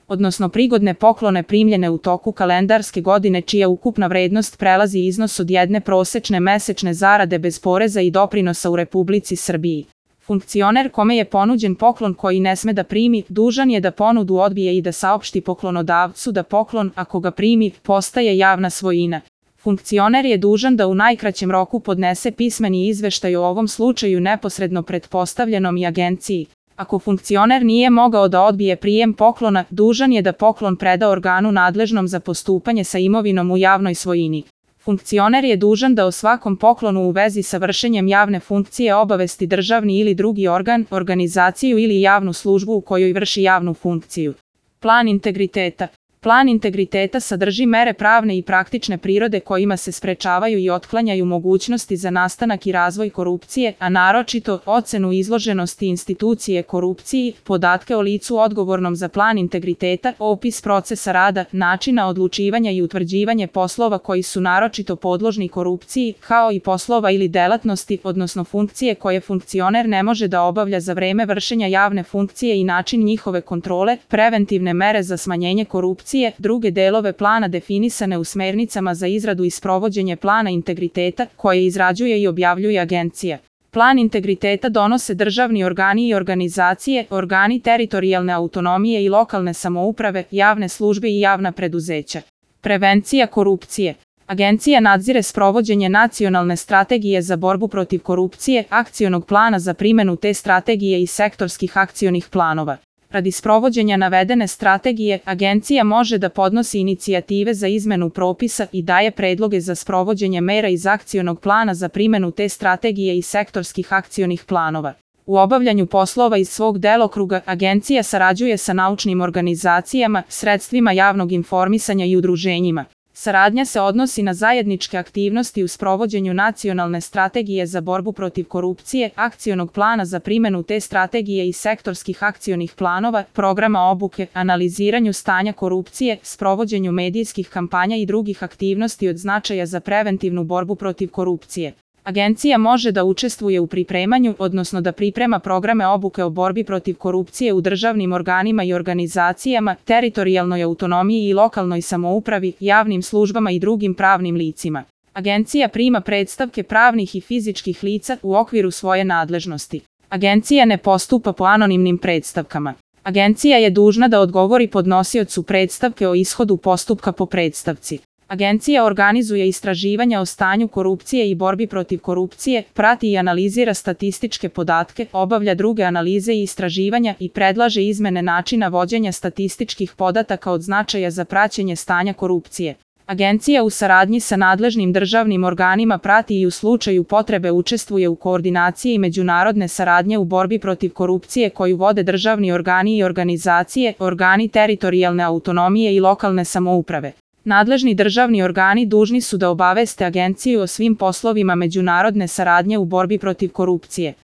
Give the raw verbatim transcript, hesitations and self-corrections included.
odnosno prigodne poklone primljene u toku kalendarske godine čija ukupna vrednost prelazi iznos od jedne prosečne mesečne zarade bez poreza i doprinosa u Republici Srbiji. Funkcioner kome je ponuđen poklon koji ne sme da primi, dužan je da ponudu odbije i da saopšti poklonodavcu da poklon, ako ga primi, postaje javna svojina. Funkcioner je dužan da u najkraćem roku podnese pismeni izveštaj o ovom slučaju neposredno pretpostavljenom i agenciji. Ako funkcioner nije mogao da odbije prijem poklona, dužan je da poklon preda organu nadležnom za postupanje sa imovinom u javnoj svojini. Funkcioner je dužan da o svakom poklonu u vezi sa vršenjem javne funkcije obavesti državni ili drugi organ, organizaciju ili javnu službu u kojoj vrši javnu funkciju. Plan integriteta. Plan integriteta sadrži mere pravne i praktične prirode kojima se sprečavaju i otklanjaju mogućnosti za nastanak i razvoj korupcije, a naročito ocenu izloženosti institucije korupciji, podatke o licu odgovornom za plan integriteta, opis procesa rada, načina odlučivanja i utvrđivanje poslova koji su naročito podložni korupciji, kao i poslova ili delatnosti, odnosno funkcije koje funkcioner ne može da obavlja za vreme vršenja javne funkcije i način njihove kontrole, preventivne mere za smanjenje korupcije, druge delove plana definisane u smernicama za izradu i sprovođenje plana integriteta koje izrađuje i objavljuje agencija. Plan integriteta donose državni organi i organizacije, organi teritorijalne autonomije i lokalne samouprave, javne službe i javna preduzeća. Prevencija korupcije. Agencija nadzire sprovođenje nacionalne strategije za borbu protiv korupcije, akcionog plana za primenu te strategije i sektorskih akcionih planova. Radi sprovođenja navedene strategije, agencija može da podnosi inicijative za izmenu propisa i daje predloge za sprovođenje mera iz akcionog plana za primenu te strategije i sektorskih akcionih planova. U obavljanju poslova iz svog delokruga, agencija sarađuje sa naučnim organizacijama, sredstvima javnog informisanja i udruženjima. Saradnja se odnosi na zajedničke aktivnosti u sprovođenju nacionalne strategije za borbu protiv korupcije, akcionog plana za primenu te strategije i sektorskih akcionih planova, programa obuke, analiziranju stanja korupcije, sprovođenju medijskih kampanja i drugih aktivnosti od značaja za preventivnu borbu protiv korupcije. Agencija može da učestvuje u pripremanju, odnosno da priprema programe obuke o borbi protiv korupcije u državnim organima i organizacijama, teritorijalnoj autonomiji i lokalnoj samoupravi, javnim službama i drugim pravnim licima. Agencija prima predstavke pravnih i fizičkih lica u okviru svoje nadležnosti. Agencija ne postupa po anonimnim predstavkama. Agencija je dužna da odgovori podnosiocu predstavke o ishodu postupka po predstavci. Agencija organizuje istraživanja o stanju korupcije i borbi protiv korupcije, prati i analizira statističke podatke, obavlja druge analize i istraživanja i predlaže izmene načina vođenja statističkih podataka od značaja za praćenje stanja korupcije. Agencija u saradnji sa nadležnim državnim organima prati i u slučaju potrebe učestvuje u koordinaciji međunarodne saradnje u borbi protiv korupcije koju vode državni organi i organizacije, organi teritorijalne autonomije i lokalne samouprave. Nadležni državni organi dužni su da obaveste agenciju o svim poslovima međunarodne saradnje u borbi protiv korupcije.